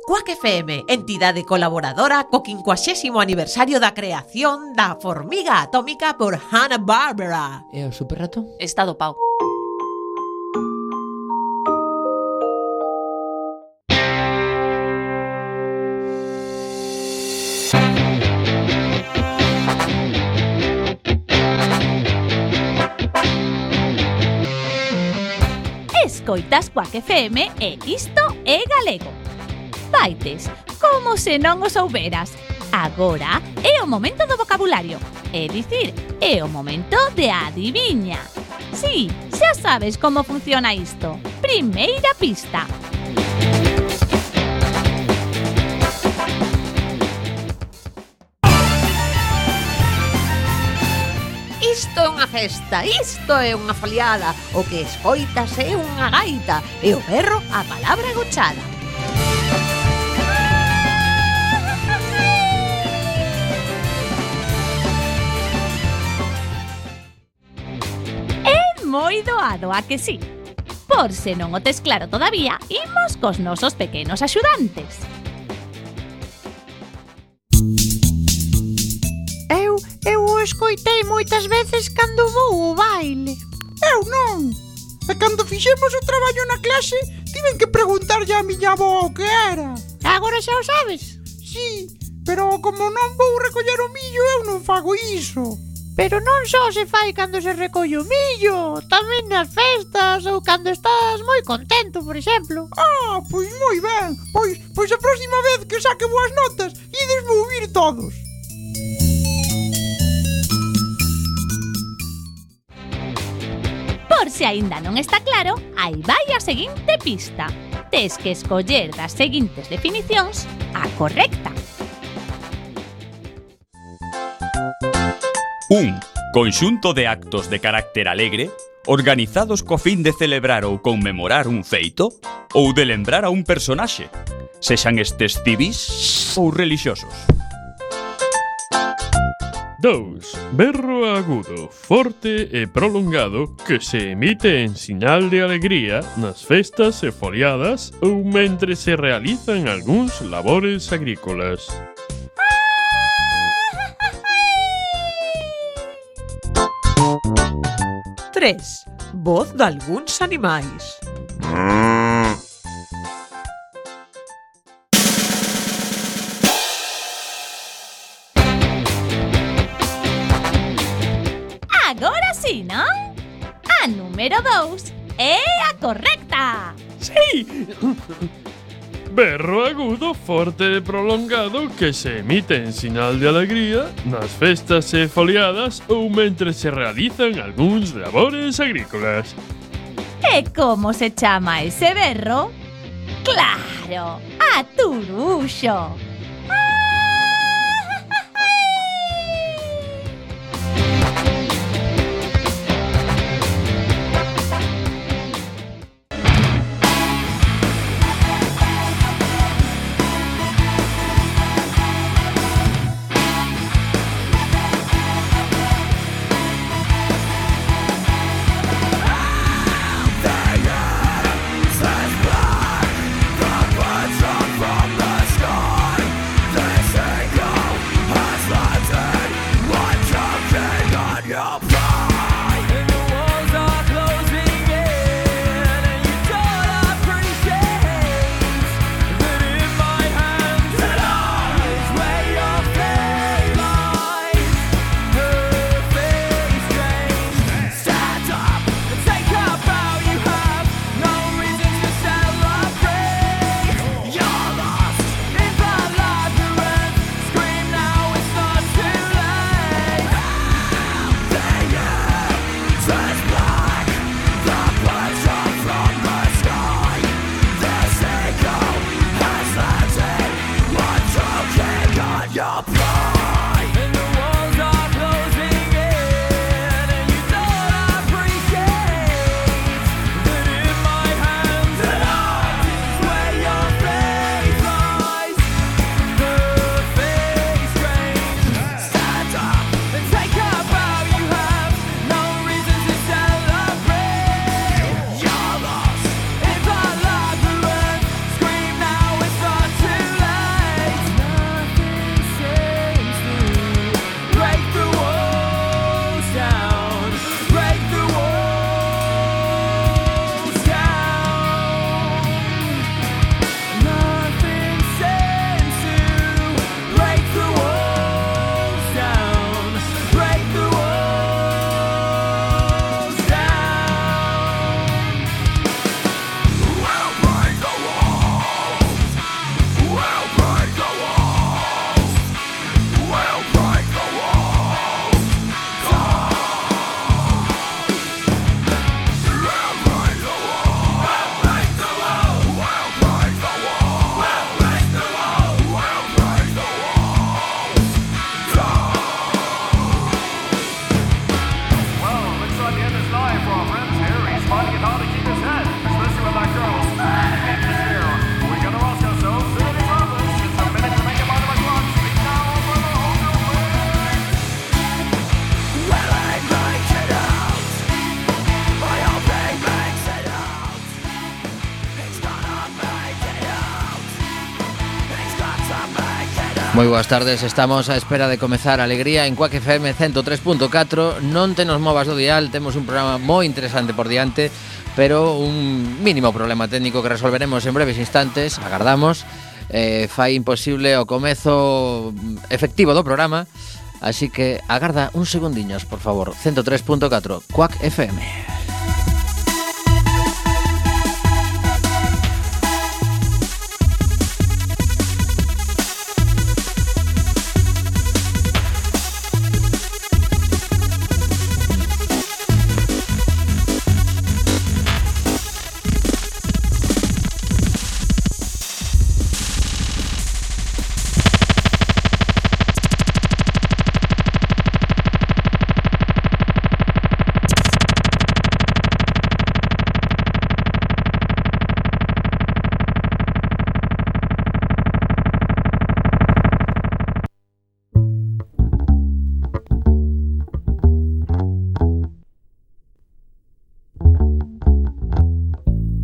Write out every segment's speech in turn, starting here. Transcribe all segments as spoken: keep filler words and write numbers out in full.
Quack F M, entidade colaboradora co quincuagésimo aniversario da creación da formiga atómica por Hanna-Barbera. E o superrato? Está dopao. Escoitas Quack F M e isto é galego. Vaites, como se non o souberas. Agora é o momento do vocabulario. É dicir, é o momento de adiviña. Sí, xa sabes como funciona isto. Primeira pista. Isto é unha festa, isto é unha foliada. O que escoitas é unha gaita e o berro a palabra gochada. É moi doado, a que sí? Por se non o tes claro todavía, imos cos nosos pequenos axudantes. Eu, eu o escoitei moitas veces cando vou ao baile. Eu non. E cando fixemos o traballo na clase, tiven que preguntarlle a miña avó o que era. Agora xa o sabes? Sí, pero como non vou recoller o millo, eu non fago iso. Pero non só se fai cando se recolle o millo, tamén nas festas ou cando estás moi contento, por exemplo. Ah, pois moi ben. Pois, pois a próxima vez que saque boas notas, ides ouvir todos. Por se aínda non está claro, aí vai a seguinte pista. Tes que escoller das seguintes definicións a correcta. Un conxunto de actos de carácter alegre organizados co fin de celebrar ou conmemorar un feito ou de lembrar a un personaxe, sexan estes civis ou relixiosos. dous. Berro agudo, forte e prolongado que se emite en sinal de alegría nas festas e foliadas ou mentre se realizan algúns labores agrícolas. tres. Voz de algúns animais. Agora sí, non? A número dous é a correcta. Sí! Berro agudo, forte e prolongado que se emite en sinal de alegría nas festas e foliadas ou mentre se realizan algúns labores agrícolas. E como se chama ese berro? Claro, a turuxo. Moi boas tardes, estamos á espera de comezar Alegría en Quack F M ciento tres punto catro. Non te nos movas do dial, temos un programa moi interesante por diante, pero un mínimo problema técnico que resolveremos en breves instantes, agardamos. Eh, fai imposible o comezo efectivo do programa, así que agarda uns segundiños, por favor. ciento tres punto catro, Quack F M.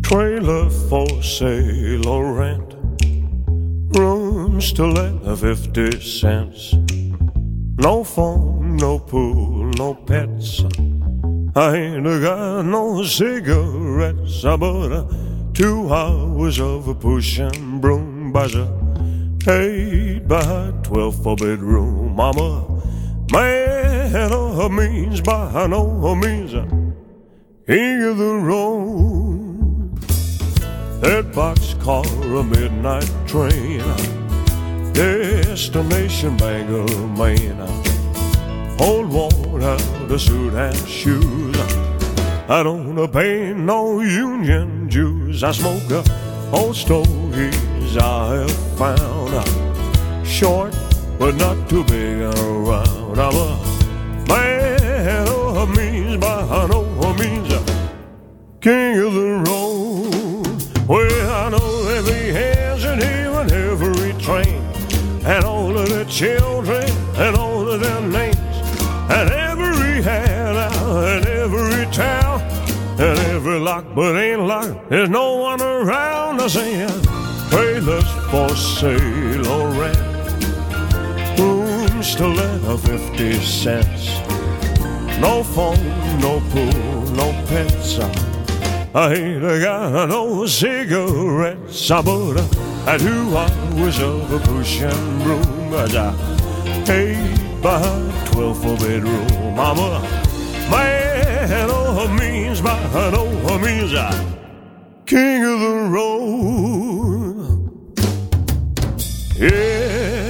Trailer for sale or rent, rooms to let at fifty cents. No phone, no pool, no pets. I ain't got no cigarettes, but uh, two hours of a pushing broom buzzer, eight by twelve for bedroom. I'm a man of means, by no means a king of the road. That boxcar, a midnight train, destination Bangor, Maine. Old worn out a suit and shoes. I don't pay no union dues. I smoke uh, old stogies I have found. Short but not too big around. I'm a man of means, by no means a king of the road. Well, I know every hands and even every train, and all of the children, and all of their names, and every handout, and every town, and every lock but ain't locked. There's no one around to say trailers for sale or rent, rooms to let of fifty cents. No phone, no pool, no pets. I ain't got no cigarettes, but I do hours of a pushing broom. Eight by twelve for bedroom. I'm a man of means, by no means a king of the road. Yeah.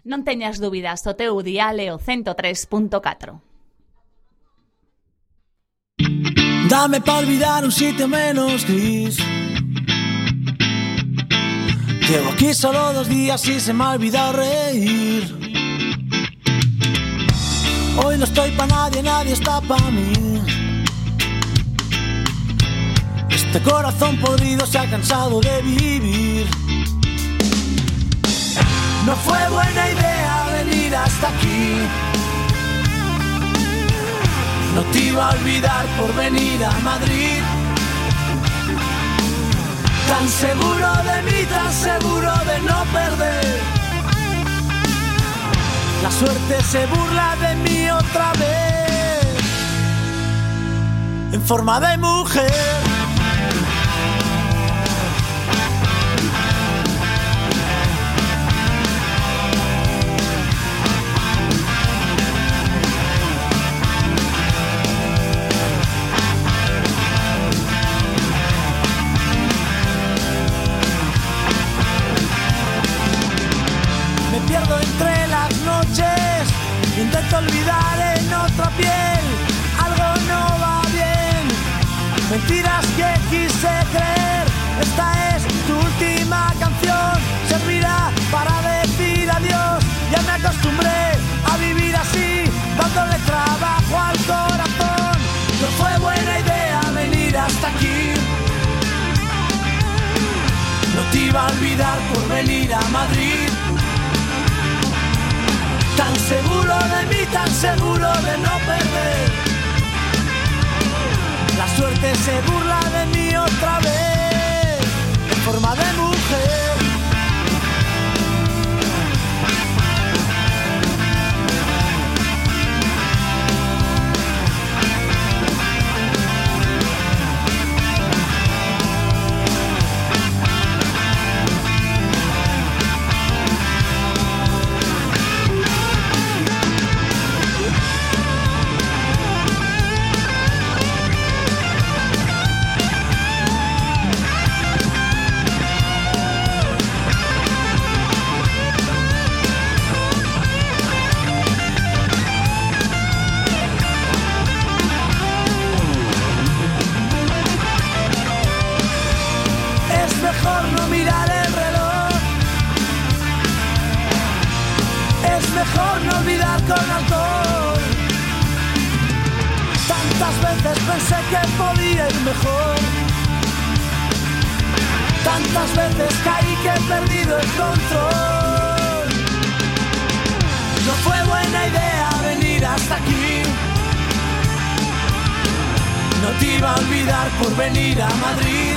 Non teñas dúbidas, o teu dial é o ciento tres punto catro. Dame pa olvidar un sitio menos gris. Llevo aquí solo dos días y se me ha olvidado reír. Hoy no estoy pa nadie, nadie está pa mí. Este corazón podrido se ha cansado de vivir. No fue buena idea venir hasta aquí. No te iba a olvidar por venir a Madrid. Tan seguro de mí, tan seguro de no perder. La suerte se burla de mí otra vez, en forma de mujer. Pierdo entre las noches, intento olvidar en otra piel. Algo no va bien, mentiras que quise creer. Esta es tu última canción, servirá para decir adiós. Ya me acostumbré a vivir así, dándole trabajo al corazón. No fue buena idea venir hasta aquí. No te iba a olvidar por venir a Madrid. Tan seguro de mí, tan seguro de no perder. La suerte se burla de mí otra vez en forma de mujer. Mejor no olvidar con alcohol. Tantas veces pensé que podía ir mejor. Tantas veces caí que he perdido el control. No fue buena idea venir hasta aquí. No te iba a olvidar por venir a Madrid.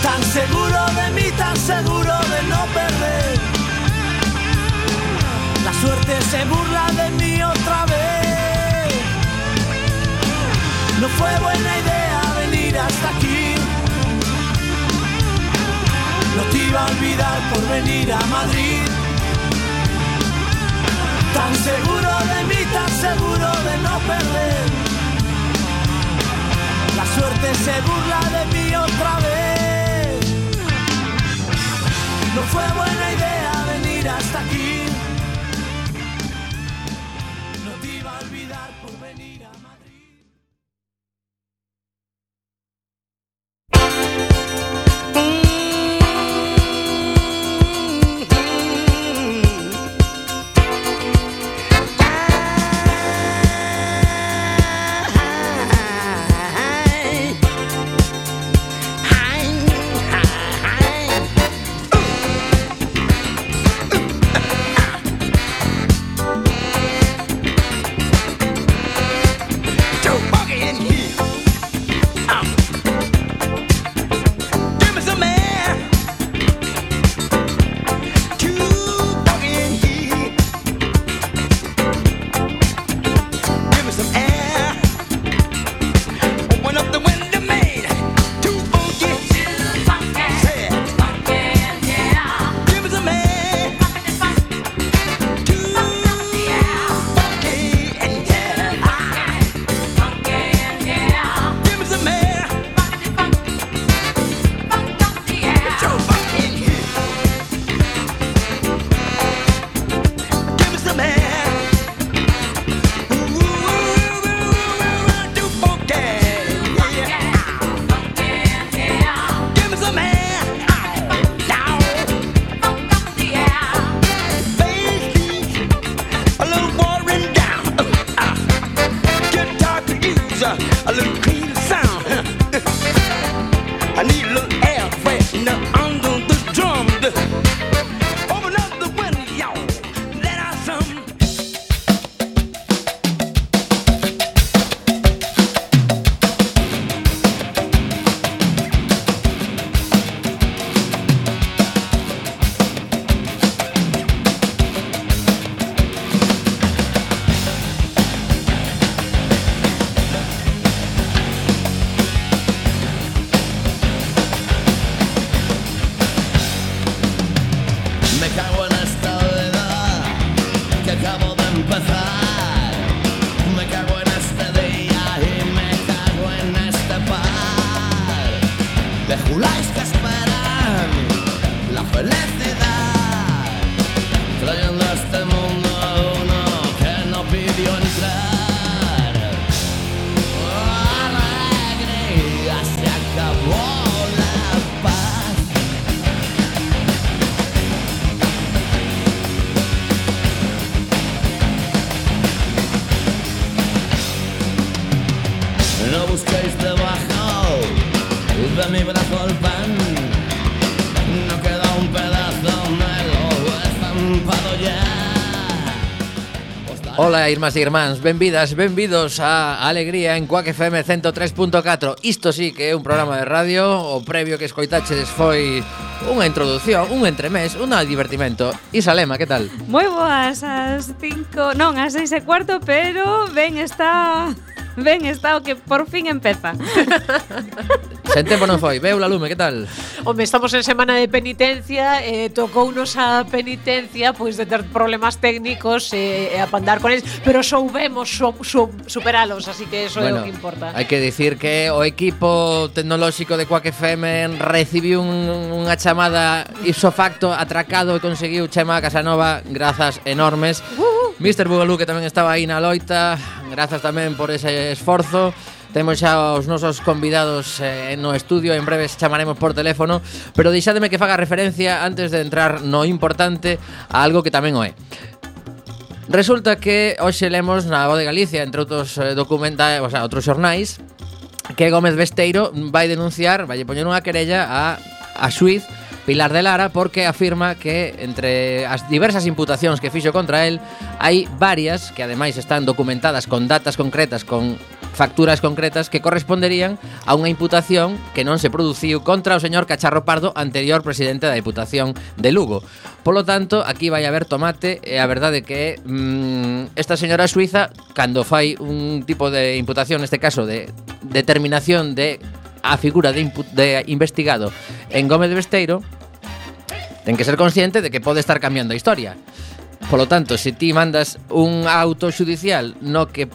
Tan seguro de mí, tan seguro de no perder. La suerte se burla de mí otra vez. No fue buena idea venir hasta aquí. No te iba a olvidar por venir a Madrid. Tan seguro de mí, tan seguro de no perder. La suerte se burla de mí otra vez. No fue buena idea venir hasta aquí. de mi brazo el pan. No queda un pedazo, me lo he estampado ya. Pues Ola, irmás e irmáns, benvidas, benvidos a Alegría en Quack F M ciento tres punto catro. Isto sí que é un programa de radio. O previo que escoitachedes foi unha introducción, un entremés, un divertimento. Isa Lema, que tal? Moi boas, as cinco, non, as seis e cuarto, pero ben está... Ben, está o que por fin empeza. Sen tempo non foi. Beula Lume, que tal? Home, estamos en semana de penitencia, eh, tocounos a penitencia pois de ter problemas técnicos e eh, apandar con eles, pero soubemos so, so, superalos, así que eso bueno, é o que importa. Hai que dicir que o equipo tecnolóxico de Quack F M recibiu un, unha chamada ipso facto atracado e conseguiu Chema Casanova, grazas enormes. Uh-huh. mister Bugalú, que tamén estaba aí na loita, grazas tamén por ese esforzo. Temos xa os nosos convidados eh, no estudio. En breve chamaremos por teléfono, pero deixádeme que faga referencia antes de entrar no importante a algo que tamén o é. Resulta que hoxe lemos na Voz de Galicia, entre outros eh, documentais, o sea, outros xornais, que Gómez Besteiro vai denunciar, vai poñer unha querella a, a xuiz Pilar de Lara, porque afirma que entre as diversas imputacións que fixo contra el hai varias que ademais están documentadas con datas concretas, con facturas concretas que corresponderían a unha imputación que non se produciu contra o señor Cacharro Pardo, anterior presidente da Diputación de Lugo. Polo tanto, aquí vai haber tomate e a verdade que mmm, esta señora suiza, cando fai un tipo de imputación, neste caso de determinación de a figura de, de investigado en Gómez Besteiro, ten que ser consciente de que pode estar cambiando a historia. Polo tanto, se ti mandas un auto xudicial no que,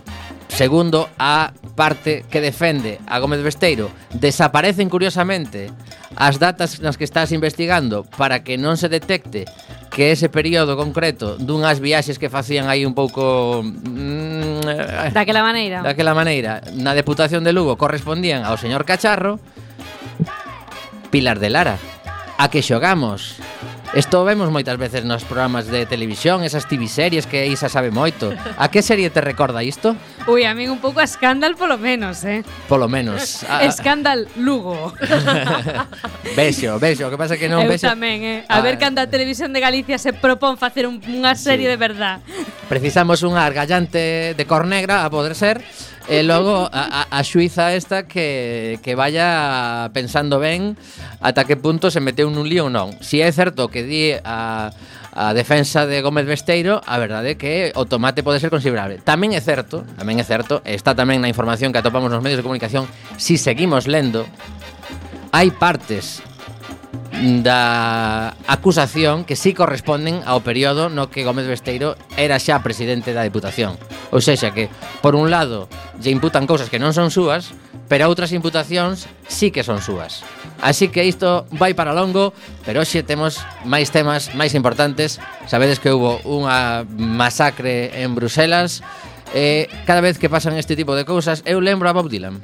segundo a parte que defende a Gómez Besteiro, desaparecen curiosamente as datas nas que estás investigando para que non se detecte que ese período concreto dunhas viaxes que facían aí un pouco mm, daquela maneira daquela maneira na Deputación de Lugo correspondían ao señor Cacharro. Pilar de Lara, a que xogamos? Isto vemos moitas veces nos programas de televisión, esas T V series que Isa sabe moito. A que serie te recorda isto? Ui, a min un pouco a Scandal polo menos, eh? Polo menos. A... Scandal Lugo. Vexo, vexo, o que pasa que non Eu vexo. tamén, eh? A ah, ver cando a Televisión de Galicia se propón facer un, unha serie sí. de verdad. Precisamos unha argallante de cor negra, a poder ser. E logo a, a, a xuiza esta que, que vaya pensando ben ata que punto se meteu nun lío ou non. Si é certo que di a, a defensa de Gómez Besteiro, a verdade é que o tomate pode ser considerable. Tamén é certo, tamén é certo, está tamén na información que atopamos nos medios de comunicación, si seguimos lendo, hai partes da acusación que sí corresponden ao período no que Gómez Besteiro era xa presidente da Diputación. Ou sexa que, por un lado, lle imputan cousas que non son súas, pero outras imputacións sí que son súas. Así que isto vai para longo, pero hoxe temos máis temas máis importantes. Sabedes que hubo unha masacre en Bruselas. Eh, cada vez que pasan este tipo de cousas, eu lembro a Bob Dylan.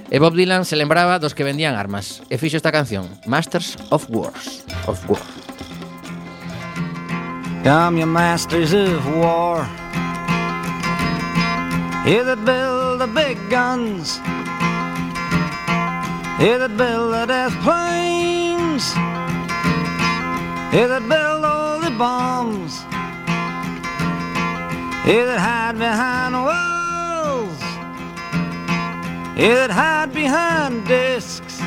E Bob Dylan se lembraba dos que vendían armas e fixo esta canción, Masters of Wars of War. Come, you masters of war, you that build the big guns, you that build the death planes, you that build all the bombs, you that hide behind walls, you that hide behind discs.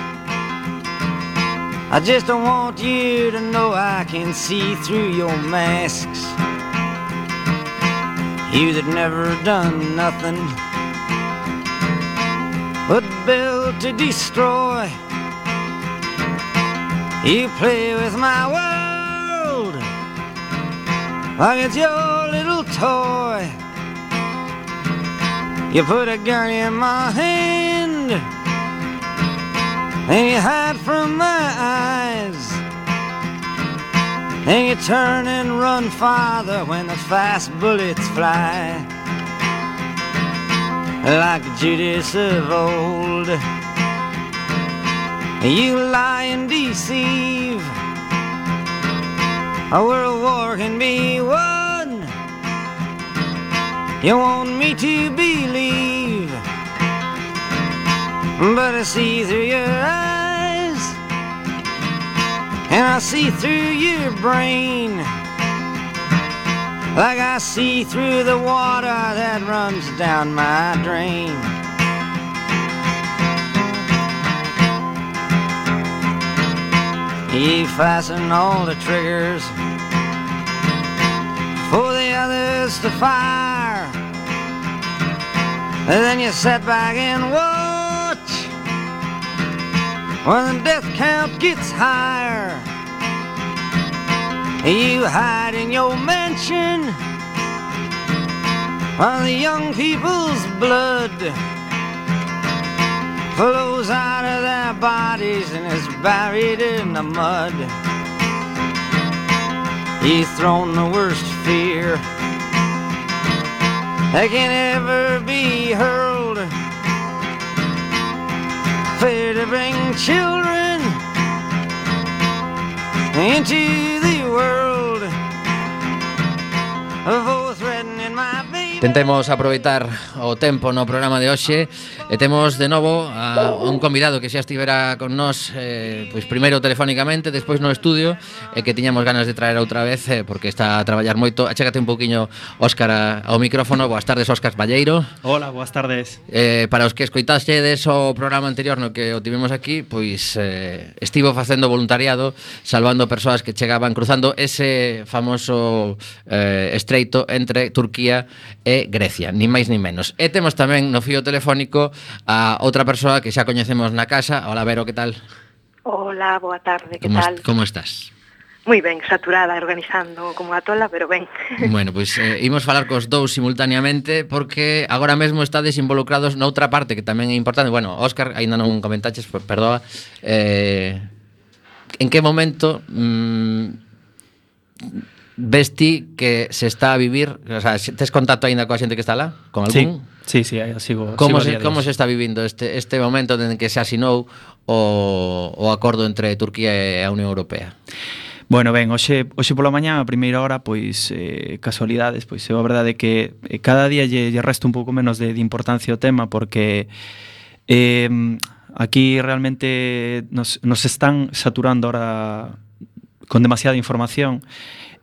I just don't want you to know I can see through your masks. You that never done nothing but build to destroy. You play with my world like it's your little toy. You put a gun in my hand and you hide from my eyes, and you turn and run farther when the fast bullets fly. Like Judas of old, you lie and deceive. A world war can be won, you want me to believe, but I see through your eyes, and I see through your brain, like I see through the water that runs down my drain. He fastened all the triggers for the others to fire, and then you sat back and watch when the death count gets higher. You hide in your mansion while the young people's blood flows out of their bodies and is buried in the mud. He's thrown the worst fear that can ever be hurled, fear to bring children into the world, both threatening my baby. Tentemos aproveitar o tempo no programa de hoxe e temos de novo a un convidado que xa estivera con nós eh, pois primeiro telefónicamente, despois no estudio e que tiñamos ganas de traer outra vez eh, porque está a traballar moito. Achégate un pouquiño, Óscar, a, ao micrófono. Boas tardes, Óscar Valleiro. Hola, boas tardes. Eh, para os que escoitaxedes o programa anterior no que o tivemos aquí, pois eh, estivo facendo voluntariado salvando persoas que chegaban cruzando ese famoso eh, estreito entre Turquía e Grecia, ni máis ni menos. E temos tamén no fío telefónico a outra persoa que xa coñecemos na casa. Hola, Vero, que tal? Hola, boa tarde, que como tal? Est como estás? Moi ben, saturada, organizando como a tola, pero ben. Bueno, pois pues, eh, imos falar cos dous simultaneamente porque agora mesmo estades involucrados noutra parte que tamén é importante. Bueno, Óscar, aínda non comentaches, perdoa. Eh, en que momento mmm, ves ti que se está a vivir, o sea, tes contacto aínda coa xente que está lá? Con algún? Sí, sí, sí, sigo, como sigo se, como se está vivindo este, este momento en que se asinou o, o acordo entre Turquía e a Unión Europea? Bueno, ben, hoxe, hoxe pola mañá, a primeira hora, pois, eh, casualidades, pois, é a verdade que eh, cada día lle, lle resta un pouco menos de, de importancia o tema, porque eh, aquí realmente nos, nos están saturando ahora con demasiada información.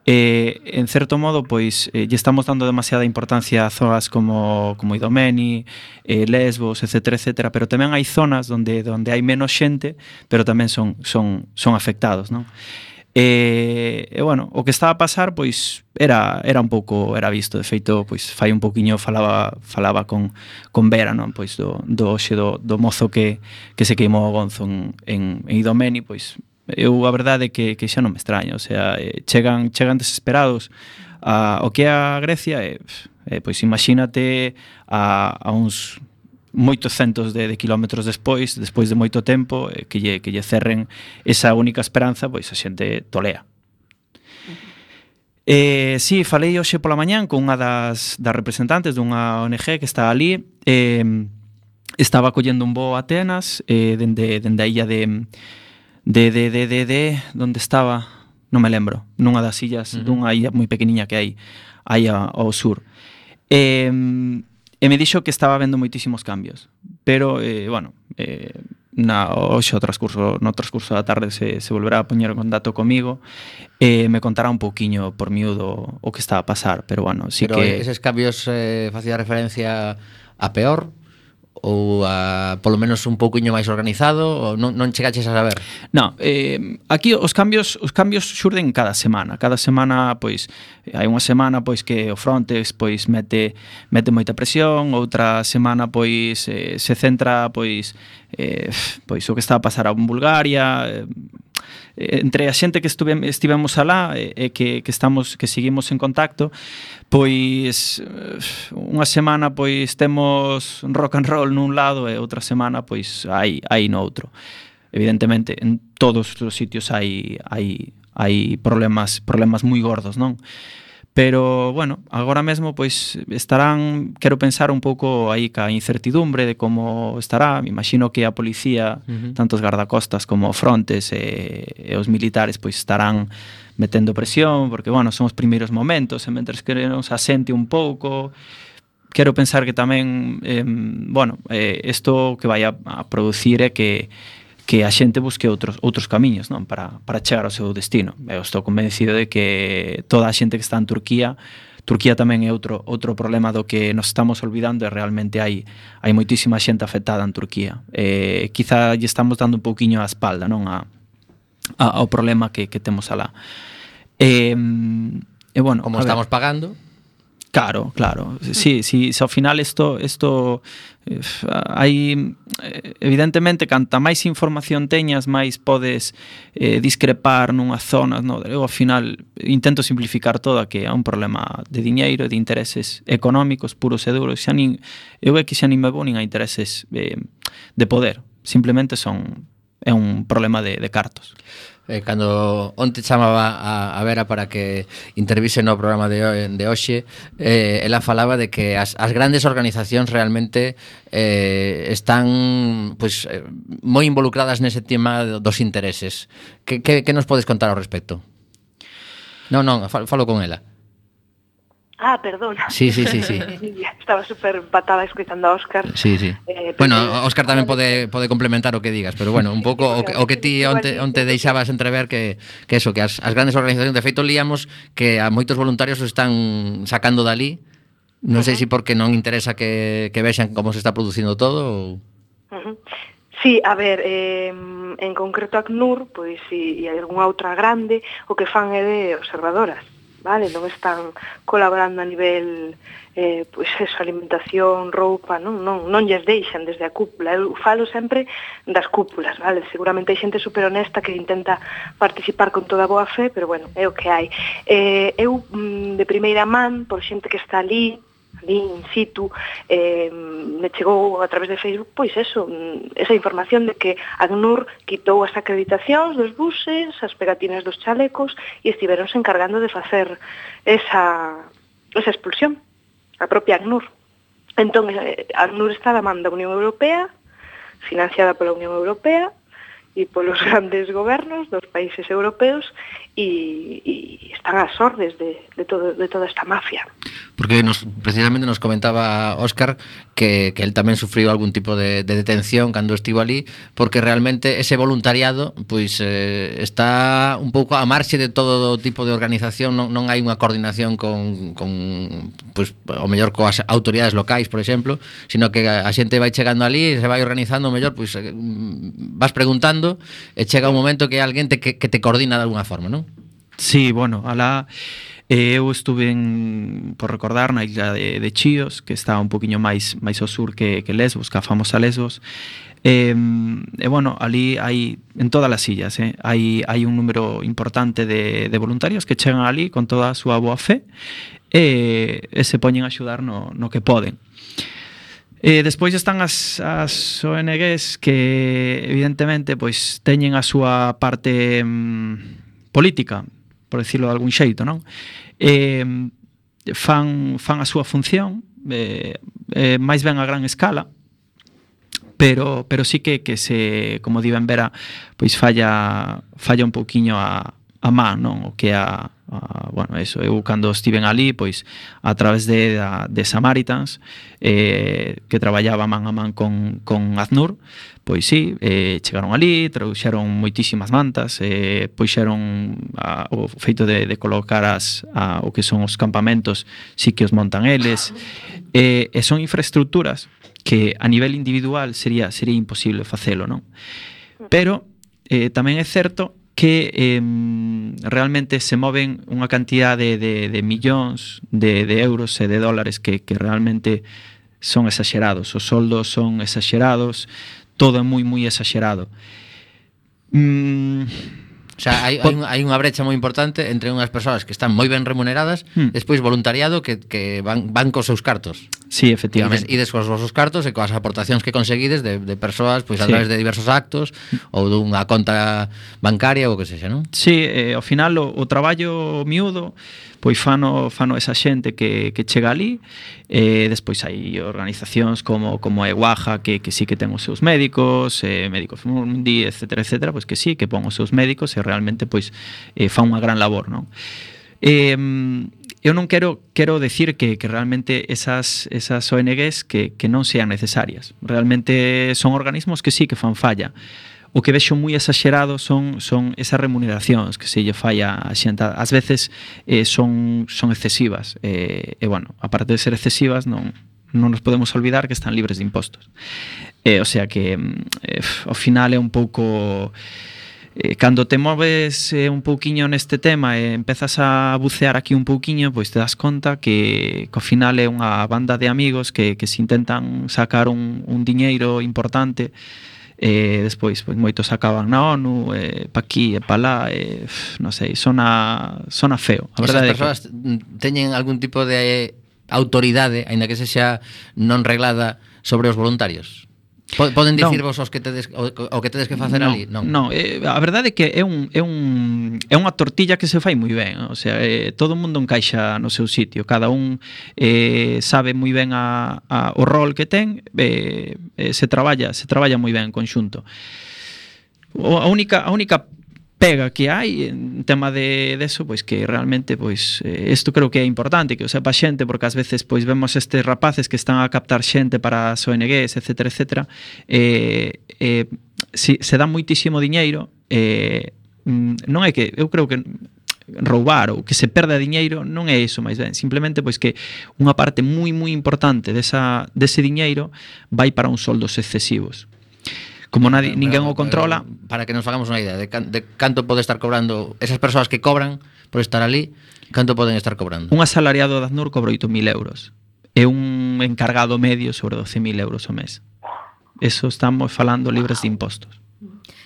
Eh, en certo modo, pois, eh, lle estamos dando demasiada importancia a zonas como, como Idomeni, eh, Lesbos, etcétera, etcétera, pero tamén hai zonas onde, onde hai menos xente, pero tamén son, son, son afectados, non? E, e, bueno, o que estaba a pasar, pois, era, era un pouco, era visto, de feito, pois, fai un pouquiño falaba, falaba con, con Vera, non? Pois, do, do hoxe do, do mozo que, que se queimou o gonzo en, en, en Idomeni, pois, eu a verdade é que, que xa non me extraña, o sea, eh, chegan, chegan desesperados a, o que é a Grecia e, eh, pois imagínate a, a uns moitos centos de, de kilómetros despois, despois de moito tempo, eh, que, lle, que lle cerren esa única esperanza, pois a xente tolea. Eh, sí, falei hoxe pola mañán con unha das, das representantes dunha O N G que está ali, eh, estaba collendo un voo a Atenas, eh, dende, dende a illa de De, de, de, de, de, donde estaba, non me lembro, nunha das illas, uh-huh. dunha illa moi pequeniña que hai aí ao sur. E, e me dixo que estaba vendo moitísimos cambios, pero, eh, bueno, eh, na, hoxe o transcurso, no transcurso da tarde se, se volverá a poñer en contacto comigo e me contará un pouquiño por miúdo o que está a pasar, pero, bueno, sí pero que... Pero eses cambios eh, facía referencia a peor? Ou a, polo menos un pouquiño máis organizado, ou non, non chegaches a saber? Non, eh, aquí os cambios os cambios xurden cada semana. Cada semana, pois, hai unha semana pois que o Frontex pois mete mete moita presión, outra semana pois eh, se centra pois eh, pois o que está a pasar en Bulgaria, eh, entre a xente que estuve, estivemos alá e eh, que, que estamos que seguimos en contacto, pois unha semana pois temos rock and roll nun lado e outra semana pois hai hai no outro. Evidentemente, en todos os sitios hai hai hai problemas problemas moi gordos, non? Pero, bueno, agora mesmo pois estarán, quero pensar un pouco aí ca incertidumbre de como estará. Me imagino que a policía, uh-huh. tanto os gardacostas como o Frontes e, e os militares pois estarán metendo presión, porque, bueno, son os primeiros momentos, e mentres que nos asente un pouco, quero pensar que tamén, eh, bueno, eh, isto que vai a, a producir é que que a xente busque outros outros camiños, non, para para chegar ao seu destino. Eu estou convencido de que toda a xente que está en Turquía Turquía tamén é outro outro problema do que nos estamos olvidando e realmente hai hai moitísima xente afectada en Turquía. Eh, quizá lle estamos dando un pouquiño a espalda, non, a, a ao problema que que temos alá. Eh, e bueno, como estamos pagando. Claro, claro. Sí, sí, se ao final isto isto eh, hai evidentemente canta máis información teñas, máis podes eh, discrepar nunhas zonas, no? Eu ao final intento simplificar todo a que é un problema de diñeiro, de intereses económicos puros e duros. Xa nin eu é que xa nin me vou nin a intereses eh, de poder. Simplemente son é un problema de, de cartos. Eh, cando onte chamaba a, a Vera para que intervise no programa de, de hoxe, eh, ela falaba de que as, as grandes organizacións realmente eh, están pois, eh, moi involucradas nese tema dos intereses. Que, que, que nos podes contar ao respecto? Non, non, falo con ela. Ah, perdona. Sí, sí, sí, sí. Estaba super empatada escoitando a Óscar. Sí, sí. Eh, bueno, Óscar tamén pode pode complementar o que digas, pero bueno, un pouco o que, o que ti onte, onte deixabas entrever que, que eso, que as, as grandes organizacións, de feito líamos que a moitos voluntarios os están sacando dali. Non sei se porque non interesa que, que vexan como se está producindo todo ou... Uh-huh. Sí, a ver, eh, en concreto ACNUR, pois si hai algunha outra grande, o que fan é de observadoras. Vale, non están colaborando a nivel eh, pois eso, alimentación, roupa, non, non, non lles deixan desde a cúpula. Eu falo sempre das cúpulas, vale? Seguramente hai xente super honesta que intenta participar con toda a boa fe, pero bueno, é o que hai. Eh, eu, de primeira man, por xente que está ali, ali in situ, eh, me chegou a través de Facebook, pois eso, esa información de que ACNUR quitou as acreditacións dos buses, as pegatinas dos chalecos e estiveronse encargando de facer esa, esa expulsión, a propia ACNUR. Entón, eh, ACNUR está da man da Unión Europea, financiada pola Unión Europea e polos grandes gobernos dos países europeos e, e están ás ordes de, de, todo, de toda esta mafia. Porque nos, precisamente nos comentaba Óscar que, que él tamén sufriu algún tipo de, de detención cando estivo ali, porque realmente ese voluntariado pois eh, está un pouco a marxe de todo tipo de organización, non, non hai unha coordinación con, con pois, o mellor coas autoridades locais, por exemplo, sino que a, a xente vai chegando ali e se vai organizando, o mellor pois eh, vas preguntando e chega un momento que hai alguén te, que, que te coordina de alguna forma, non? Sí, bueno, alá eh, eu estuve en, por recordar, na isla de, de Chios, que está un poquinho máis máis ao sur que, que Lesbos, que a famosa Lesbos. E, e bueno, ali hai, en todas as illas, eh, hai, hai un número importante de, de voluntarios que chegan ali con toda a súa boa fe e, e se poñen a axudar no, no que poden. E despois están as, as O N Gs que evidentemente pois teñen a súa parte mm, política, por decirlo de algún xeito, non? Eh, fan, fan a súa función, eh, eh, máis ben a gran escala, pero pero sí que que se, como di ben Vera, pois falla falla un pouquiño a a man, non? O que a, a bueno, eso, eu cando estiven ali, pois a través de a, de Samaritans, eh, que traballaba man a man con con ACNUR, pois sí, eh, chegaron ali, trouxeron moitísimas mantas, eh, puxeron a, o feito de, de colocar as, a, o que son os campamentos, sí que os montan eles, eh, e son infraestructuras que a nivel individual sería sería imposible facelo, non? Pero eh, tamén é certo que eh, realmente se moven unha cantidad de, de, de millóns de, de euros e de dólares que, que realmente son exagerados, os soldos son exagerados, todo é moi, moi exagerado. Mm, o sea, hai, hai, hai unha brecha moi importante entre unhas persoas que están moi ben remuneradas, mm. despois voluntariado que, que van, van cos seus cartos. Sí, efectivamente. E des cos vosos cartos e coas aportacións que conseguides de, de persoas pois, a sí. través de diversos actos ou dunha conta bancaria ou que sexa, non? Sí, eh, ao final o, o traballo miúdo pois fano, fano esa xente que, que chega ali, e eh, despois hai organizacións como, como a Eguaja que, que sí que ten os seus médicos, eh, Médicos Mundi, etcétera, etcétera, pois que sí, que pon os seus médicos e realmente pois eh, fan unha gran labor, non? Eh, eu non quero quero decir que, que realmente esas, esas O N Gs que, que non sean necesarias. Realmente son organismos que sí que fan falla. o que vexo moi exagerado son son esas remuneracións que se lle fai a xente. Ás veces eh, son son excesivas. Eh, e, bueno, aparte de ser excesivas, non non nos podemos olvidar que están libres de impostos. Eh, o sea que, eh, ao final é un pouco... Eh, cando te moves eh, un pouquiño neste tema e empezas a bucear aquí un pouquiño, pois te das conta que, que ao final é unha banda de amigos que, que se intentan sacar un, un diñeiro importante e eh, despois pois, moitos acaban na ONU, eh, pa aquí e pa lá, eh, non sei, sona, sona feo. A verdade. Esas persoas que... teñen algún tipo de autoridade, aínda que sexa non reglada, sobre os voluntarios? Poden dicirvos os que tedes o, o que tedes que facer non, ali? Non. Non, eh, a verdade é que é un é un é unha tortilla que se fai moi ben, o sea, eh, todo o mundo encaixa no seu sitio, cada un eh, sabe moi ben a, a o rol que ten, eh, eh, se traballa, se traballa moi ben en conxunto. O, a única a única pega que hai en tema de deso, pois que realmente pois eh, isto creo que é importante que o sepa xente, porque ás veces pois vemos estes rapaces que están a captar xente para as O N Gs, etcétera, etcétera. Eh, eh, si, se dá moitísimo diñeiro, eh, non é que eu creo que roubar ou que se perda diñeiro non é iso máis ben, simplemente pois que unha parte moi moi importante desa dese diñeiro vai para uns soldos excesivos. Como nadie, pero, ninguén o controla. Para que nos hagamos unha idea de, can, de canto pode estar cobrando esas persoas que cobran por estar ali, canto poden estar cobrando? Un asalariado de Acnur cobra oito mil euros e un encargado medio sobre doce mil euros ao mes. Eso estamos falando libres de impostos.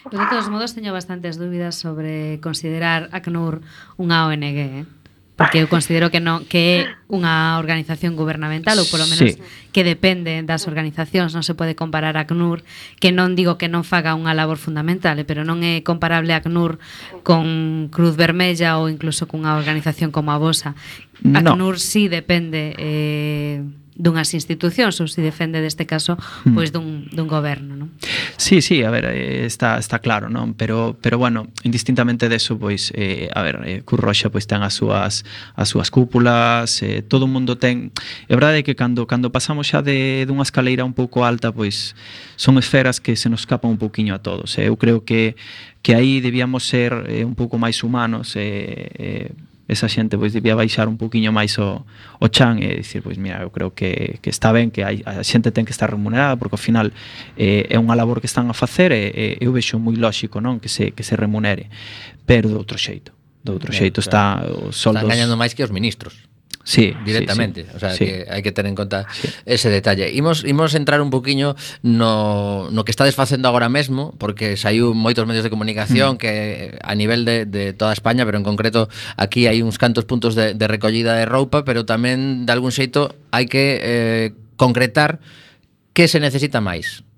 Pero de todos modos teño bastantes dúbidas sobre considerar Acnur unha O N G, eh? Porque eu considero que non que é unha organización gubernamental ou polo menos sí, que depende das organizacións, non se pode comparar a Acnur, que non digo que non faga unha labor fundamental, pero non é comparable a Acnur con Cruz Vermella ou incluso cunha organización como a vosa. Acnur no. sí depende eh, dunhas institucións ou se defende deste caso pois dun, dun goberno, non? Sí, sí, a ver, está está claro, non? Pero pero bueno, indistintamente deso, pois eh, a ver, eh, Cruz Roxa pois ten as súas as súas cúpulas, eh, todo o mundo ten. É verdade que cando cando pasamos xa de dunha escaleira un pouco alta, pois son esferas que se nos escapan un pouquiño a todos. Eh. Eu creo que que aí debíamos ser eh, un pouco máis humanos, eh, eh esa xente pois debía baixar un poquinho máis o, o chan e dicir, pois mira, eu creo que, que está ben que hai, a xente ten que estar remunerada porque ao final eh, é unha labor que están a facer e, e eu vexo moi lóxico, non, que se que se remunere, pero de outro xeito. De outro xeito está os soldos. Están gañando máis que os ministros. Sí, directamente, sí, sí, o sea, sí. que hai que ter en conta sí. ese detalle. Imos imos entrar un poquiño no no que estades facendo agora mesmo, porque saiu moitos medios de comunicación mm. que a nivel de de toda España, pero en concreto aquí hai uns cantos puntos de de recollida de roupa, pero tamén de algún xeito hai que eh, concretar que se necesita máis.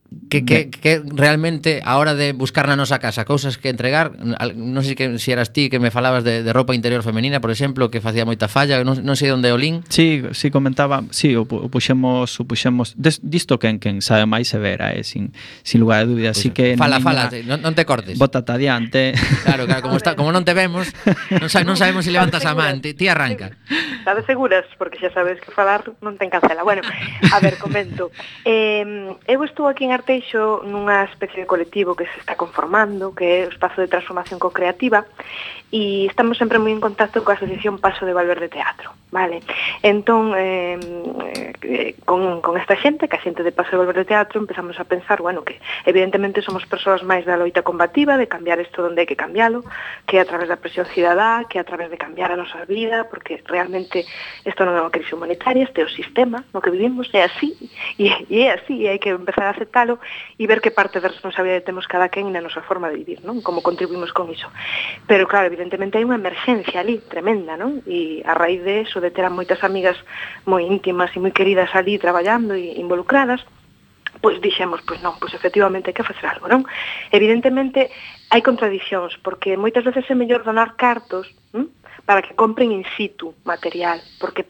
Que, que, que realmente a hora de buscar na nosa casa cousas que entregar, non sei que si eras ti que me falabas de, de roupa interior femenina, por exemplo, que facía moita falla, non, non sei onde o lin. Sí, sí comentaba, sí, o, o puxemos, o puxemos des, disto quen quen sabe máis se vera, eh, sin, sin lugar de dúbida, así que fala, fala, non, non te cortes. Bótate adiante. Claro, claro, como está, como non te vemos, non, sa, non sabemos se si levantas a man, ti, ti arranca. Estades seguras, porque xa sabes que falar non ten cancela. Bueno, a ver, comento. Eh, eu estou aquí en Arteixo nunha especie de colectivo que se está conformando, que é o Espazo de Transformación Co-Creativa, e estamos sempre moi en contacto coa Asociación Paso de Valverde Teatro, vale? Entón, eh, eh, con, con esta xente, que a xente de Paso de Valverde Teatro, empezamos a pensar, bueno, que evidentemente somos persoas máis da loita combativa, de cambiar isto onde hai que cambialo, que é a través da presión cidadá, que é a través de cambiar a nosa vida, porque realmente isto non é unha crise humanitaria, este é o sistema no que vivimos, é así, e, e é así, e hai que empezar a aceptalo e ver que parte da responsabilidade temos cada quen na nosa forma de vivir, non? Como contribuimos con iso. Pero claro, evidentemente hai unha emerxencia ali tremenda, non? E a raíz de eso, de ter a moitas amigas moi íntimas e moi queridas ali traballando e involucradas, pois dixemos, pois non, pois efectivamente hai que facer algo, non? Evidentemente hai contradicións, porque moitas veces é mellor donar cartos, hm? para que compren in situ material, porque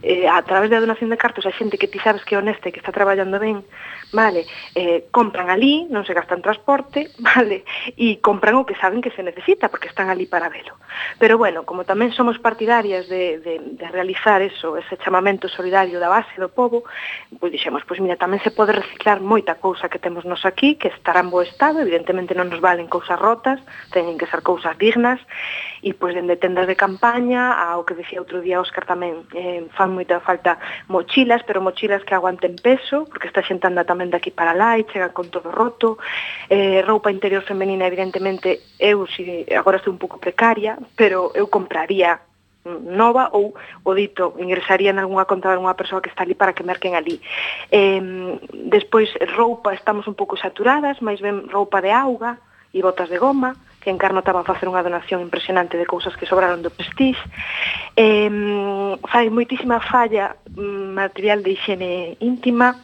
eh, a través da donación de cartos a xente que ti sabes que é honesta e que está traballando ben, vale, eh, compran ali, non se gastan transporte, vale, e compran o que saben que se necesita, porque están ali para velo. Pero bueno, como tamén somos partidarias de, de, de realizar eso, ese chamamento solidario da base do povo, pois dixemos, pois mira, tamén se pode reciclar moita cousa que temos nos aquí, que estará en bo estado, evidentemente non nos valen cousas rotas, teñen que ser cousas dignas, e pois dende tendas de campaña ao que decía outro día Óscar tamén, eh, fan moita falta mochilas, pero mochilas que aguanten peso, porque está xente anda tamén daqui para lá e chegan con todo roto, eh, roupa interior femenina, evidentemente, eu si, agora estou un pouco precaria, pero eu compraría nova ou, o dito, ingresaría en algunha conta de alguna persoa que está ali para que merquen ali. Eh, despois, roupa, estamos un pouco saturadas, máis ben roupa de auga e botas de goma, que en Carno estaban a facer unha donación impresionante de cousas que sobraron do Prestige. Eh, fai moitísima falla material de higiene íntima,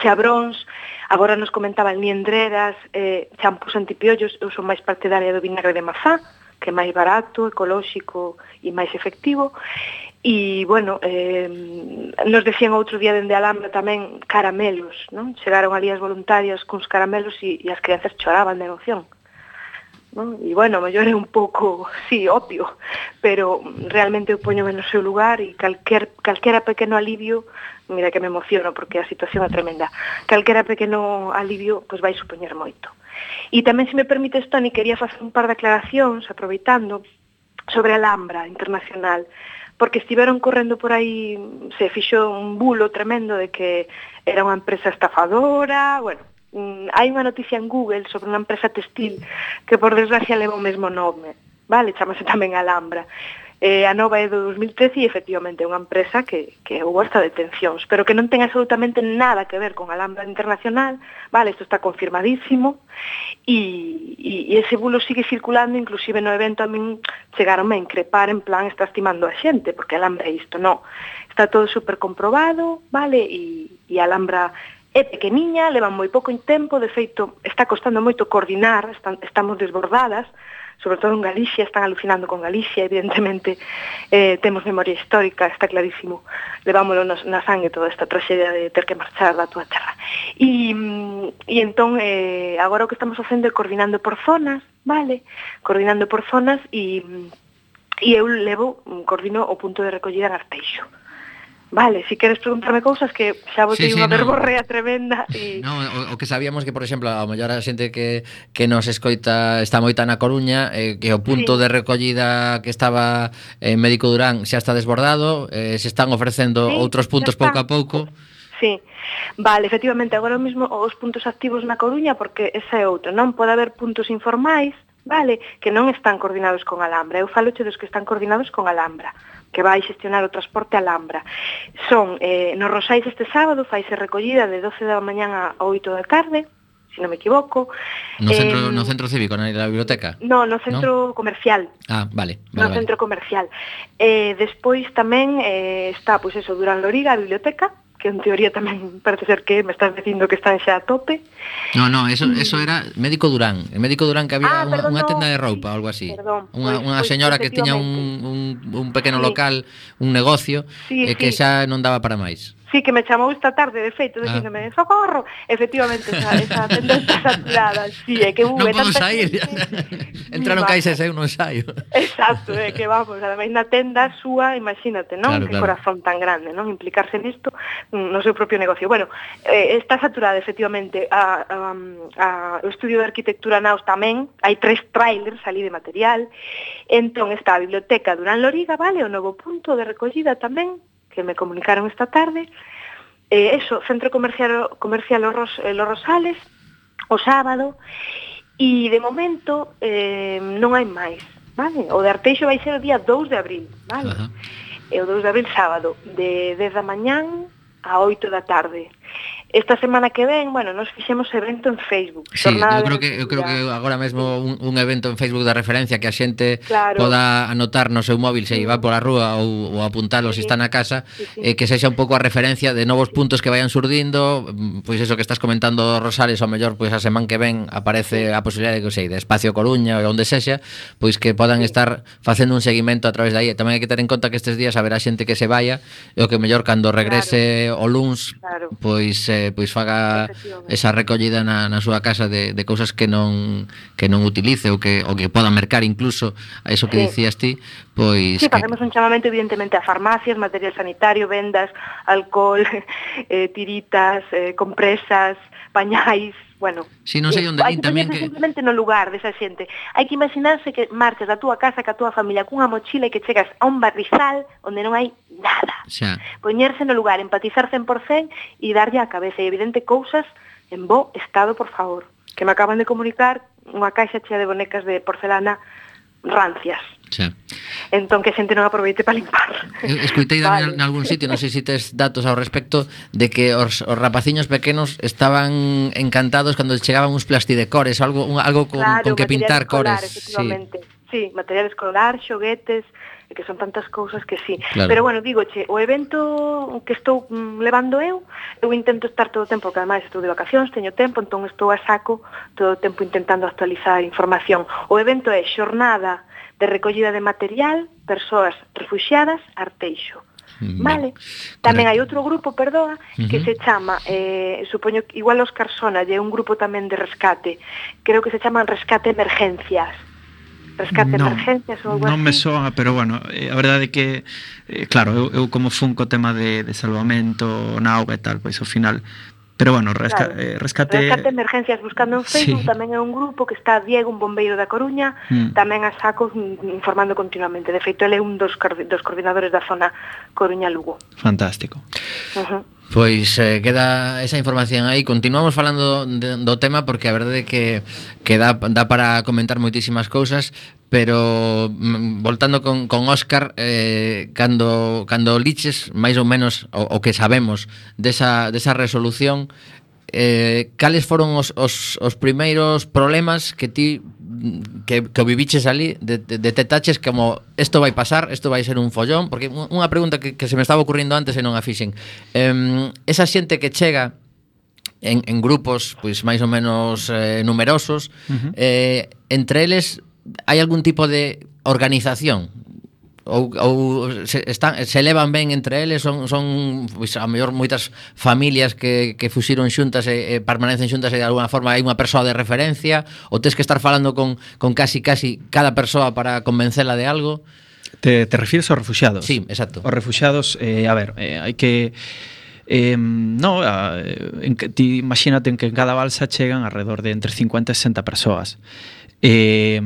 xabróns, agora nos comentaban liendreras, eh, champús antipiollos, eu son máis partidaria do vinagre de mazá, que é máis barato, ecolóxico e máis efectivo. E, bueno, eh, nos decían outro día dende Alhambra tamén caramelos, non? Chegaron ali as voluntarias cuns caramelos e, e as crianzas choraban de emoción. Non? E, bueno, mellor é un pouco, sí, obvio, pero realmente eu poñome no seu lugar e calquer, calquera pequeno alivio, mira que me emociono porque a situación é tremenda, calquera pequeno alivio pois vai supoñer moito. E tamén, se me permites, Toni, quería facer un par de aclaracións, aproveitando, sobre a Alhambra Internacional, porque estiveron correndo por aí, se fixo un bulo tremendo de que era unha empresa estafadora, bueno, hai unha noticia en Google sobre unha empresa textil que, por desgracia, leva o mesmo nome, vale, chamase tamén Alhambra. Eh, a nova é do dos mil trece e efectivamente é unha empresa que, que houve hasta detencións, pero que non ten absolutamente nada que ver con Alhambra Internacional, vale, isto está confirmadísimo, e, e, e ese bulo sigue circulando, inclusive no evento a min chegaronme a increpar en plan, está estimando a xente, porque Alhambra é isto, non, está todo super comprobado, vale, e, e Alhambra é pequeniña, leva moi pouco tempo, de feito, está costando moito coordinar, están, estamos desbordadas, sobre todo en Galicia, están alucinando con Galicia, evidentemente, eh, temos memoria histórica, está clarísimo, levámoslo na, na sangue toda esta traxedia de ter que marchar da túa terra. E, e entón, eh, agora o que estamos facendo é coordinando por zonas, vale? Coordinando por zonas e, e eu levo, coordino o punto de recollida en Arteixo. Vale, si queres preguntarme cousas que xa botei sí, sí, unha verborrea no. tremenda e... No, o, o que sabíamos que, por exemplo, a mellor a xente que, que nos escoita está moita na Coruña, eh, que o punto sí. de recollida que estaba en Médico Durán xa está desbordado, eh, se están ofrecendo sí, outros puntos pouco a pouco. Sí, vale, efectivamente, agora mesmo os puntos activos na Coruña, porque ese é outro, non pode haber puntos informais, vale, que non están coordinados con Alhambra. Eu faloche dos que están coordinados con Alhambra, que vai xestionar o transporte a Alhambra. Son, eh, nos Rosais este sábado, faise recollida de doce da mañán a oito da tarde, se non me equivoco. No centro, eh, no centro cívico, na biblioteca? No, no centro ¿no? comercial. Ah, vale. vale no vale. centro comercial. Eh, despois tamén eh, está, pois eso, Durán Loriga, a biblioteca, que en teoría tamén parece ser que me estás dicindo que están xa a tope. No, no, eso eso era Médico Durán. En Médico Durán que había ah, unha, unha tenda de roupa ou algo así. Perdón, unha, pues, unha pues, señora que tiña un, un, un pequeno sí. local, un negocio, sí, e que sí. xa non daba para máis. Sí, que me chamou esta tarde, de feito, dicíndome, ah. socorro, efectivamente, esa, esa tenda está saturada, sí, é que non podo sair, entraron caixas e eu non saio. Exacto, é que vamos, ademais na tenda súa, imagínate, non? Claro, que claro. corazón tan grande, non? Implicarse nisto no seu propio negocio. Bueno, eh, está saturada, efectivamente, a, a, a, o estudio de arquitectura Naos tamén, hai tres trailers ali de material, entón está a biblioteca Durán Loriga, vale, o novo punto de recollida tamén, que me comunicaron esta tarde, eh, eso, Centro Comercial, comercial Los, Ros, eh, Los Rosales, o sábado, e de momento eh, non hai máis, vale? O de Arteixo vai ser o día dous de abril, vale? Uh-huh. E o dous de abril sábado, de dez da mañán a oito da tarde. Esta semana que ven, bueno, nos fixemos evento en Facebook. Sí, eu creo que eu creo que agora mesmo un, un evento en Facebook de referencia que a xente claro. poda anotar no seu móvil se sí. va pola rúa ou, ou apuntalo sí. se está na casa, sí, sí. Eh, que sexa un pouco a referencia de novos puntos que vayan surdindo, pois iso que estás comentando, Rosales, ao mellor pois a semana que ven aparece sí. a posibilidade de que sei, de Espacio Coruña ou onde sexa, pois que podan sí. estar facendo un seguimento a través de aí. Tamén hai que ter en conta que estes días haberá xente que se vaya e o que mellor cando regrese claro. o luns, claro. pois eh, pois faga esa recollida na, na súa casa de, de cousas que non que non utilice ou que, ou que poda mercar incluso a eso que sí. dicías ti, pois... Sí, que... facemos un chamamento evidentemente a farmacias, material sanitario, vendas, alcohol, eh, tiritas, eh, compresas, pañais, bueno... Si, non sei onde hai din tamén que... simplemente no lugar desa xente. Hai que imaginarse que marchas da túa casa, ca túa familia, cunha mochila e que chegas a un barrizal onde non hai nada. Xa. Poñerse no lugar, empatizar cen por cento e darlle á cabeza. E evidente cousas en bo estado, por favor. Que me acaban de comunicar unha caixa chea de bonecas de porcelana rancias. Xa. Entón que a xente non aproveite para limpar. Escoitei vale. en algún sitio, non sei se tes datos ao respecto, de que os, os rapaciños pequenos estaban encantados cando chegaban uns plastidecores, algo un, algo con, claro, con que pintar escolar, cores. Sí. sí, material escolar, xoguetes, que son tantas cousas que sí. Claro. Pero bueno, digoche, o evento que estou mm, levando eu, eu intento estar todo o tempo, porque ademais estou de vacacións, teño tempo, entón estou a saco todo o tempo intentando actualizar información. O evento é Xornada de recollida de material, persoas refuxiadas, Arteixo. Mm, vale. Tamén hai outro grupo, perdoa, uh-huh. que se chama, eh, supoño, igual Óscar Sona, é un grupo tamén de rescate, creo que se chaman Rescate Emergencias. Rescate no, Emergencias ou algo así. Non me soa, pero bueno, eh, a verdade é que eh, claro, eu, eu como fun co tema de, de salvamento na auga e tal, pois ao final. Pero bueno, resca, claro. eh, rescate... Rescate Emergencias buscando en Facebook, sí. tamén é un grupo que está Diego, un bombeiro da Coruña, mm. tamén a saco informando continuamente. De feito, ele é un dos, dos coordinadores da zona Coruña-Lugo. Fantástico. Uh-huh. Pois eh, queda esa información aí. Continuamos falando de, do tema porque a verdade é que, que dá, dá para comentar moitísimas cousas, pero mm, voltando con, con Óscar, eh, cando, cando liches máis ou menos o, o que sabemos desa, desa resolución, eh, cales foron os, os, os primeiros problemas que ti que, que viviches ali, de, de, detectaches como isto vai pasar, isto vai ser un follón? Porque unha pregunta que, que se me estaba ocurrindo antes e non a fixen, eh, esa xente que chega en, en grupos pois máis ou menos eh, numerosos, uh-huh. eh, entre eles hai algún tipo de organización? Ou, ou se, están, se levan ben entre eles? Son, son pois, a mellor moitas familias que, que fuxiron xuntas e, e permanecen xuntas e de alguna forma hai unha persoa de referencia? Ou tes que estar falando con, con casi casi cada persoa para convencela de algo? Te, te refires aos refuxiados? Sí, exacto. Os refuxiados, eh, a ver, eh, hai que... Eh, no, en que, ti imagínate que en cada balsa chegan alrededor de entre cincuenta e sesenta persoas. Eh,